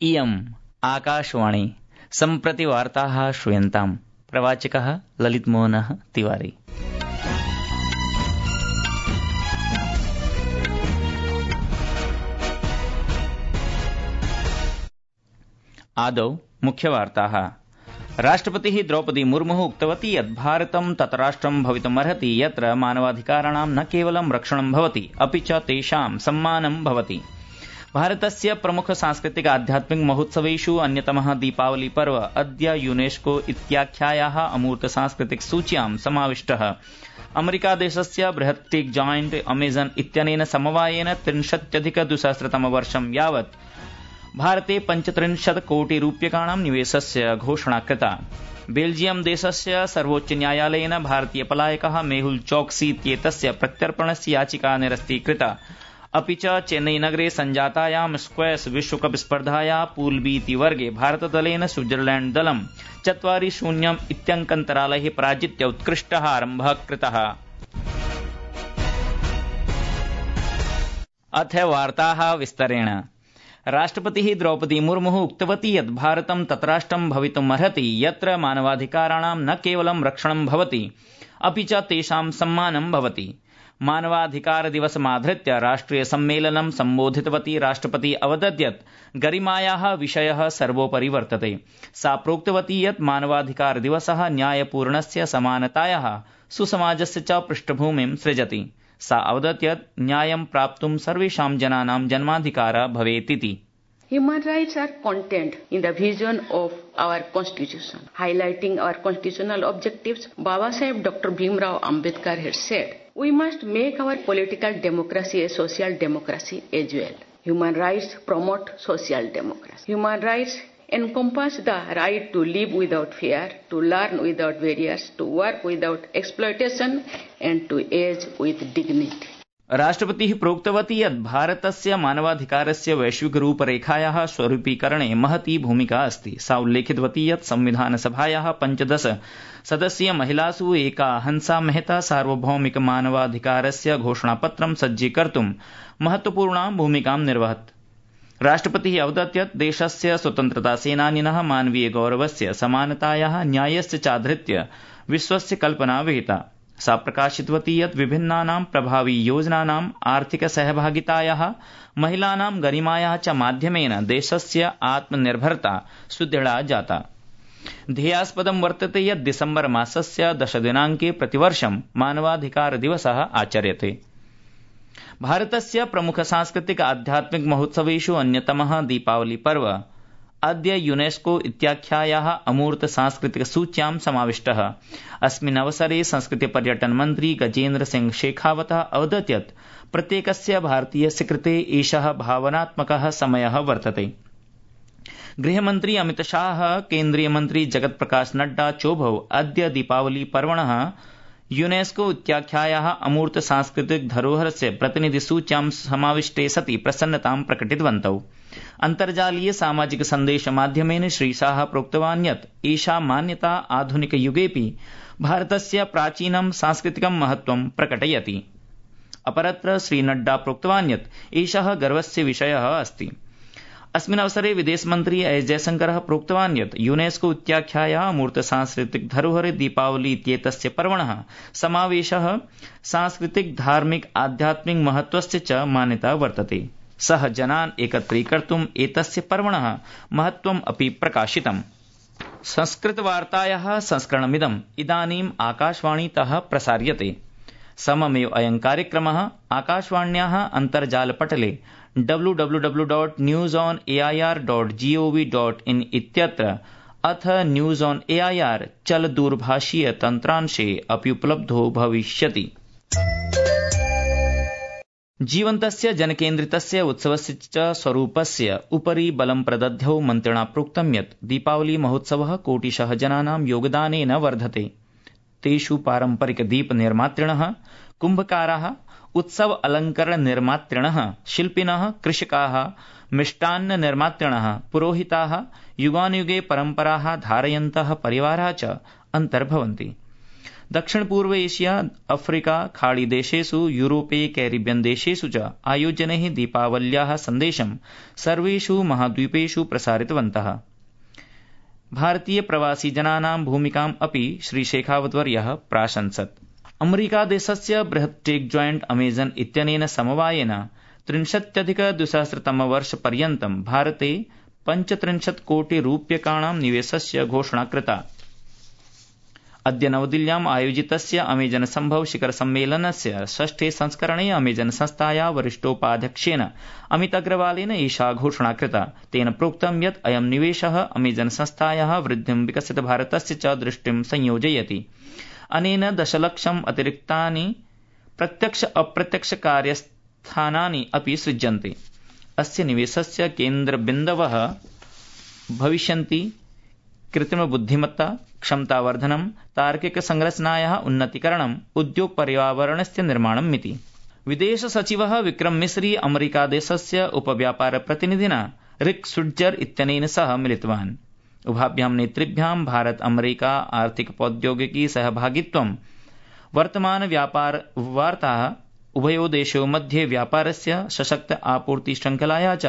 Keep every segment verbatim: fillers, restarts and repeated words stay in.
इयम् आकाशवाणी सम्प्रति वार्ताः श्रूयन्ताम्। प्रवाचकः ललितमोहनः तिवारी। आदौ मुख्यवार्ताः। राष्ट्रपतिः द्रौपदी मुर्मुः उक्तवती यत् भारतं ततराष्ट्रं भवितुमर्हति यत्र मानवाधिकाराणां न केवलं रक्षणं भवति अपि च तेषां सम्मानं भवति। भारतस्य प्रमुख सांस्कृतिक आध्यात्मिक महोत्सवेषु अन्यतमः दीपावली पर्व अद्य यूनेस्को इत्याख्यायाः अमूर्त सांस्कृतिक सूच्यां समाविष्टः। अमेरिकादेशस्य बृहत् टेक जायंट अमेजन इत्यनेन समवायेन त्रिंशत्यधिक द्विसहस्रतम वर्षं यावत् भारते पञ्चत्रिंशत् कोटि रूप्यकाणां निवेशस्य घोषणा कृता। बेल्जियम देशस्य सर्वोच्च न्यायालयेन भारतीय पलायकः मेहुल चोक्सी इत्येतस्य प्रत्यर्पणस्य याचिका निरस्तीकृता। अपि च चेन्नई नगरे सञ्जातायां स्क्वैश विश्वकप स्पर्धायाः पूल बी इति वर्गे भारतदलेन स्विट्जरलैंड दलं चत्वारि शून्यम् इत्यङ्कन्तरालैः पराजित्य उत्कृष्टः आरम्भः कृतः। अथ वार्ताः विस्तरेण। राष्ट्रपतिः द्रौपदी मुर्मुः उक्तवती यत् भारतं ततराष्ट्रं भवितुमर्हति यत्र मानवाधिकाराणां न केवलं रक्षणं भवति अपि च तेषां सम्मानं भवति। मानवाधिकार दिवसमाधृत्य राष्ट्रिय सम्मेलनं सम्बोधितवती राष्ट्रपतिः अवदत् यत् गरिमायाः विषयः सर्वोपरि वर्तते। सा प्रोक्तवती यत् मानवाधिकार दिवसः न्यायपूर्णस्य समानतायाः सुसमाजस्य च पृष्ठभूमिं सृजति। सा अवदत् यत् न्यायं प्राप्तुं सर्वेषां जनानां जन्माधिकारः भवेतिति। Human rights are contained in the vision of our constitution. Highlighting our constitutional objectives, Baba Saheb Doctor Bhimrao Ambedkar had said, we must make our political democracy a social democracy as well. Human rights promote social democracy. Human rights encompass the right to live without fear, to learn without barriers, to work without exploitation, and to age with dignity. राष्ट्रपतिः प्रोक्तवती यत् भारतस्य मानवाधिकारस्य वैश्विक रूपरेखायाः स्वरूपीकरणे महती भूमिका अस्ति। सा उल्लेखितवती यत् संविधानसभायाः पञ्चदश सदस्यीय महिलासु एका हंसा मेहता सार्वभौमिक मानवाधिकारस्य घोषणापत्रं सज्जीकर्तुं महत्वपूर्णां भूमिकां निर्वहत्। राष्ट्रपतिः अवदत् यत् देशस्य स्वतन्त्रतासेनानिनः मानवीय गौरवस्य समानतायाः न्यायस्य चाधृत्य विश्वस्य कल्पना विहिता। सा प्रकाशितवती यत् विभिन्नानां प्रभावी योजनानाम् आर्थिक सहभागितायाः महिलानां गरिमायाः च माध्यमेन देशस्य आत्मनिर्भरता सुदृढा जाता। ध्येयास्पदं वर्तते यत् दिसम्बर मासस्य दशदिनाङ्के प्रतिवर्षं मानवाधिकार दिवसः आचर्यते। भारतस्य प्रमुख सांस्कृतिक आध्यात्मिक महोत्सवेषु अन्यतमः दीपावली पर्व अद्य यूनेस्को इत्याख्यायाः अमूर्त सांस्कृतिक सूच्यां समाविष्टः। अस्मिन् अवसरे संस्कृति पर्यटन मन्त्री गजेन्द्र सिंह शेखावतः अवदत् यत् प्रत्येकस्य भारतीयस्य कृते एषः भावनात्मकः समयः वर्तते। गृहमन्त्री अमित शाह, केन्द्रीय मन्त्री जगत प्रकाश नड्डा चोभौ अद्य दीपावली पर्वणः यूनेस्को इत्याख्यायाः अमूर्त सांस्कृतिक धरोहरस्य प्रतिनिधिसूच्यां समाविष्टे सति प्रसन्नतां प्रकटितवन्तौ। अन्तर्जालीय सामाजिक सन्देश माध्यमेन श्रीशाह प्रोक्तवान् यत् एषा मान्यता आधुनिक युगेऽपि भारतस्य प्राचीनं सांस्कृतिकं महत्त्वं प्रकटयति। अपरत्र श्रीनड्डा प्रोक्तवान् यत् एषः गर्वस्य विषयः अस्ति। अस्मिन् अवसरे विदेशमन्त्री एस जयशंकरः प्रोक्तवान् यत् यूनेस्को इत्याख्यायाः अमूर्त सांस्कृतिक धरोहरे दीपावली इत्येतस्य पर्वणः समावेशः सांस्कृतिक धार्मिक आध्यात्मिक महत्त्वस्य च मान्यता वर्तते। सः जनान् एकत्रीकर्तुम् एतस्य पर्वणः महत्त्वम् अपि प्रकाशितम्। संस्कृतवार्तायाः संस्करणमिदम् इदानीम् आकाशवाणीतः प्रसार्यते। सममेव अयं कार्यक्रमः आकाशवाण्याः अन्तर्जालपटले W W W dot news on A I R dot G O V dot in इत्यत्र अथ news on A I R चल दूरभाषीय तन्त्रांशे अपि उपलब्धो भविष्यति। जीवन्तस्य जनकेन्द्रितस्य उत्सवस्य च स्वरूपस्य उपरि बलं प्रदध्यौ मन्त्रिणा प्रोक्तं यत् दीपावली महोत्सवः कोटिशः जनानां योगदानेन वर्धते। तेषु पारम्परिक दीप निर्मातृणः, कुम्भकाराः, उत्सव अलंकरण निर्मातृणः, शिल्पिनः, कृषकाः, मिष्टान्न निर्मातृणः, पुरोहिताः, युगानुयुगे परम्पराः धारयन्तः परिवाराः च अन्तर्भवन्ति। दक्षिण पूर्व एशिया, अफ्रीका, खाड़ी देशेषु, यूरोपे, कैरिबियन देशेषु च आयोजनैः दीपावल्याः सन्देशं सर्वेषु महाद्वीपेषु प्रसारितवन्तः। भारतीय प्रवासी जनानां भूमिकाम् अपि श्री शेखावतवर्यः प्राशंसत्। अमेरिका देशस्य बृहत् टेक जॉइंट अमेजन इत्यनेन समवायेन त्रिंशत्यधिक द्विसहस्रतमवर्षपर्यन्तं भारते पञ्चत्रिंशत् कोटि रूप्यकाणां निवेशस्य घोषणा कृता। अद्य नवदिल्ल्याम् आयोजितस्य अमेजन सम्भव शिखर सम्मेलनस्य षष्ठे संस्करणे अमेजन संस्थाया वरिष्ठोपाध्यक्षेण अमित अग्रवालेन एषा घोषणा कृता। तेन प्रोक्तं यत् अयं निवेशः अमेजन संस्थायाः वृद्धिं विकसित भारतस्य च दृष्टिं संयोजयति। अनेन दशलक्षम् अतिरिक्तानि प्रत्यक्ष अप्रत्यक्ष कार्यस्थानानि अपि सृज्यन्ते। अस्य निवेशस्य केन्द्रबिन्दवः भविष्यन्ति कृत्रिम बुद्धिमत्ता, क्षमतावर्धनं, तार्किक संरचनायाः उन्नतीकरणम्, उद्योग पर्यावरणस्य निर्माणमिति। विदेश सचिवः विक्रम मिस्री अमेरिकादेशस्य उपव्यापार प्रतिनिधिना रिक स्विट्जर इत्यनेन सह मिलितवान्। उभाभ्यां नेतृभ्यां भारत अमेरिका आर्थिक प्रौद्योगिकी सहभागित्वं, वर्तमान व्यापार वार्ताः, उभयो देशयोः मध्ये व्यापारस्य सशक्त आपूर्ति श्रृंखलाया च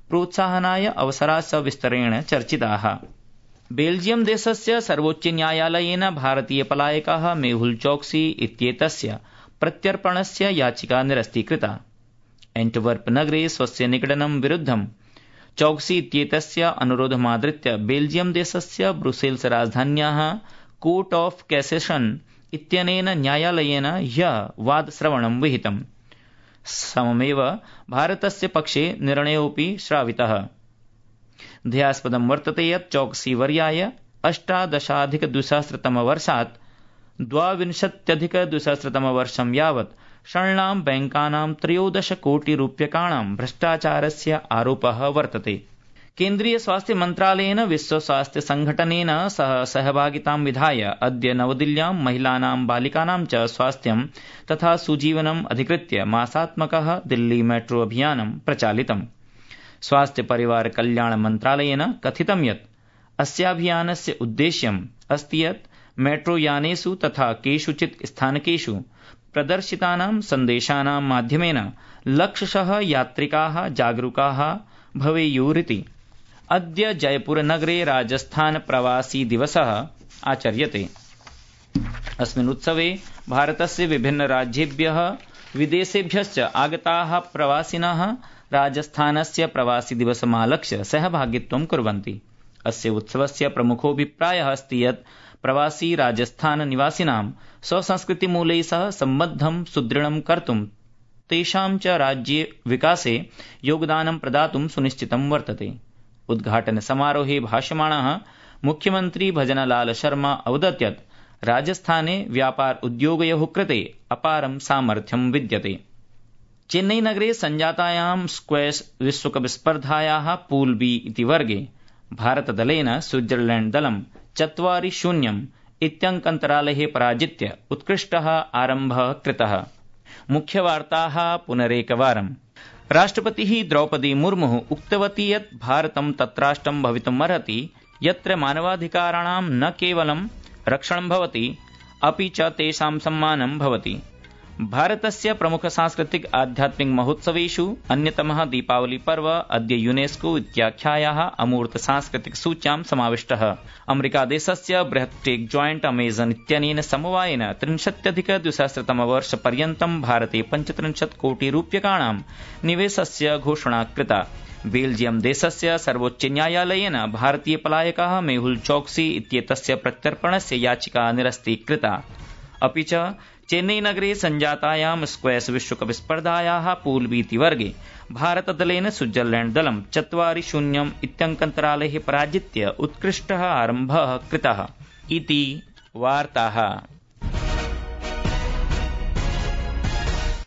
प्रोत्साहनाय अवसराश्च विस्तरेण चर्चिताः। बेल्जियम देशस्य सर्वोच्च न्यायालयेन भारतीय पलायकः मेहुल चौक्सी इत्येतस्य प्रत्यर्पणस्य याचिका निरस्तीकृता। एंटवर्प नगरे स्वस्य निगडनं विरुद्धं चौक्सी इत्येतस्य अनुरोधमादृत्य बेल्जियम देशस्य ब्रुसेल्स राजधान्याः कोर्ट ऑफ कैसेशन इत्यनेन न्यायालयेन ह्यः वादश्रवणं विहितम्। सममेव भारतस्य पक्षे निर्णयोऽपि श्रावितः। ध्येयास्पदं वर्तते यत् चौक्सी वर्याय अष्टादशाधिक द्विसहस्रतमवर्षात् द्वाविंशत्यधिक द्विसहस्रतमवर्षं यावत् षण्णां बैंकानां त्रयोदश कोटि रूप्यकाणां भ्रष्टाचारस्य आरोपः वर्तते। केन्द्रीय स्वास्थ्य मन्त्रालयेन विश्व स्वास्थ्य संघटनेन सह सहभागितां विधाय अद्य नवदिल्ल्यां महिलानां बालिकानां च स्वास्थ्यं तथा सुजीवनम् अधिकृत्य मासात्मकः दिल्ली मेट्रो अभियानं प्रचालितम्। स्वास्थ्य परिवार कल्याण मन्त्रालयेन कथितं यत् अस्याभियानस्य उद्देश्यम् अस्ति यत् मेट्रो यानेषु तथा केषुचित् स्थानकेषु प्रदर्शितानां सन्देशानां माध्यमेन लक्षशः यात्रिकाः जागरूकाः भवेयुरिति। अद्य जयपुर नगरे राजस्थान प्रवासी दिवसः आचर्यते। अस्मिन् उत्सवे भारतस्य विभिन्न राज्येभ्यः विदेशेभ्यश्च आगताः प्रवासिनः राजस्थानस्य प्रवासी दिवसमालक्ष्य सहभागित्वं कुर्वन्ति। अस्य उत्सवस्य प्रमुखोऽभिप्रायः अस्ति यत् प्रवासी राजस्थान निवासिनां स्वसंस्कृतिमूलैः सह सम्बद्धं सुदृढं कर्तुं तेषां च राज्ये विकासे योगदानं प्रदातुं सुनिश्चितं वर्तते। उद्घाटन समारोहे भाषमाणः मुख्यमंत्री भजनलाल शर्मा अवदत् यत् राजस्थाने व्यापार उद्योगयोः कृते अपारं सामर्थ्यं विद्यते। चेन्नई नगरे संजातायां स्क्वैश विश्वकप स्पर्धायाः पूल बी इति वर्गे भारतदलेन स्विट्जरलैंड दलं चत्वारि शून्यम् इत्यङ्कन्तरालेः पराजित्य उत्कृष्टः आरम्भः कृतः। मुख्यवार्ताः पुनरेकवारम्। राष्ट्रपतिः द्रौपदी मुर्मुः उक्तवती यत् भारतं तत्राष्ट्रं भवितुमर्हति यत्र मानवाधिकाराणां न केवलं रक्षणं भवति अपि च तेषां सम्मानं भवति। भारतस्य प्रमुख सांस्कृतिक आध्यात्मिक महोत्सवेषु अन्यतमः दीपावली पर्व अद्य यूनेस्को इत्याख्यायाः अमूर्त सांस्कृतिक सूच्यां समाविष्टः। अमेरिकादेशस्य बृहत् टेक जॉइंट अमेजन इत्यनेन समवायेन त्रिंशत्यधिक द्विसहस्रतमवर्षपर्यन्तं भारते पञ्चत्रिंशत् कोटि रूप्यकाणां निवेशस्य घोषणा कृता। बेल्जियम देशस्य सर्वोच्च न्यायालयेन भारतीय पलायकः मेहुल चौक्सी इत्येतस्य प्रत्यर्पणस्य याचिका निरस्तीकृता। अपि च चेन्नई नगरे संजातायां स्क्वैश विश्वकप स्पर्धायाः पूल बी इति वर्गे भारतदलेन स्विट्जरलैंड दलं चत्वारि शून्यम् इत्यङ्कन्तरालेः पराजित्य उत्कृष्टः आरम्भः कृतः इति वार्ताः।